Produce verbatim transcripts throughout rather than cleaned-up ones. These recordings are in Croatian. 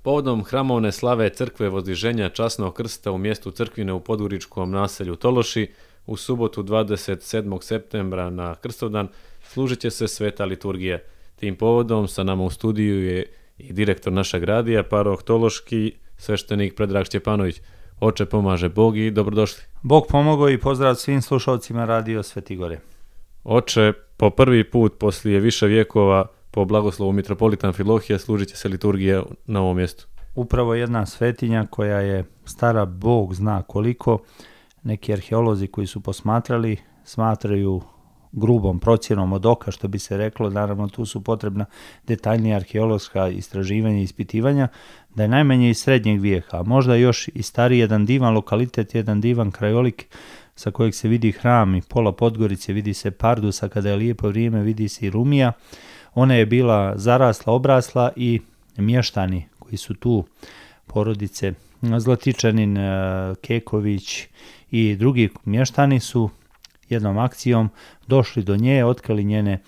Povodom hramovne slave crkve Vozdiženja Časnog krsta u mjestu Crkvine u podgoričkom naselju Tološi u subotu dvadeset sedmog septembra na Krstovdan služit će se sveta liturgija. Tim povodom sa nama u studiju je i direktor našeg radija, paroh Tološki, sveštenik Predrag Šćepanović. Oče, pomaže Bog i dobrodošli. Bog pomogao i pozdrav svim slušalcima Radio Sveti Gore. Oče, po prvi put poslije više vjekova po blagoslovu mitropolita Amfilohija služit će se liturgija na ovom mjestu. Upravo jedna svetinja koja je stara Bog zna koliko. Neki arheolozi koji su posmatrali smatraju grubom procjenom od oka, što bi se reklo, naravno tu su potrebna detaljnija arheološka istraživanja i ispitivanja, da je najmanje iz srednjeg vijeka, a možda još i stariji jedan divan lokalitet, jedan divan krajolik sa kojeg se vidi hram i pola Podgorice, vidi se Pardus, a kada je lijepo vrijeme vidi se i Rumija. Ona je bila zarasla, obrasla i mještani koji su tu, porodice Zlatičanin, Keković i drugi mještani su jednom akcijom došli do nje, otkrili njene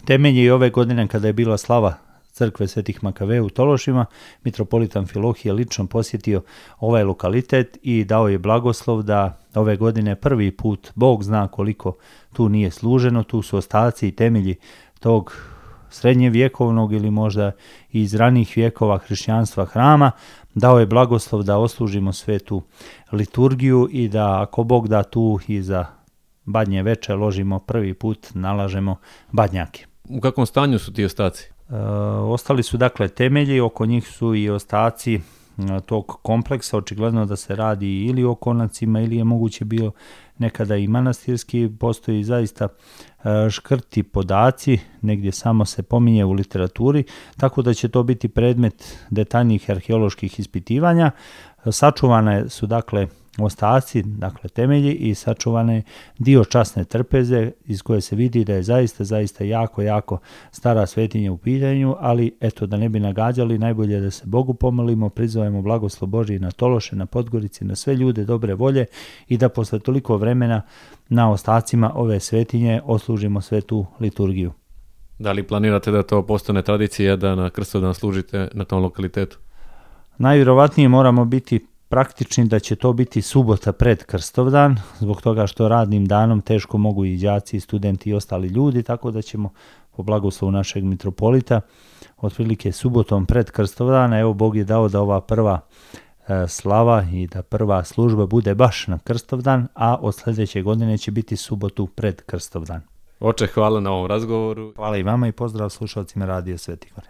temelje i ove godine kada je bila slava crkve Svetih Makaveja u Tološima, mitropolit Amfilohije lično posjetio ovaj lokalitet i dao je blagoslov da ove godine prvi put, Bog zna koliko tu nije služeno, tu su ostaci i temelji tog srednjevjekovnog ili možda iz ranih vjekova hrišćanstva hrama, dao je blagoslov da oslužimo svetu liturgiju i da ako Bog da tu i za badnje veče ložimo prvi put, nalažemo badnjake. U kakvom stanju su ti ostaci? E, ostali su dakle temelji, oko njih su i ostaci e, tog kompleksa, očigledno da se radi ili o konacima ili je moguće bilo nekada i manastirski, postoji zaista e, škrti podaci, negdje samo se pominje u literaturi, tako da će to biti predmet detaljnih arheoloških ispitivanja. Sačuvane su dakle ostaci, dakle temelji i sačuvane dio časne trpeze iz koje se vidi da je zaista, zaista jako, jako stara svetinja u pitanju, ali eto da ne bi nagađali, najbolje je da se Bogu pomolimo, prizovemo blagoslov Božji na Tološe, na Podgorici, na sve ljude dobre volje i da posle toliko vremena na ostacima ove svetinje oslužimo svetu liturgiju. Da li planirate da to postane tradicija da na Krstovdan služite na tom lokalitetu? Najvjerovatnije moramo biti praktični da će to biti subota pred Krstovdan, zbog toga što radnim danom teško mogu i đaci, i studenti i ostali ljudi, tako da ćemo po blagoslovu našeg mitropolita otprilike subotom pred Krstovdan, evo Bog je dao da ova prva e, slava i da prva služba bude baš na Krstovdan, a od sljedeće godine će biti subotu pred Krstovdan. Oče, hvala na ovom razgovoru. Hvala i vama i pozdrav slušalcima Radio Sveti Gore.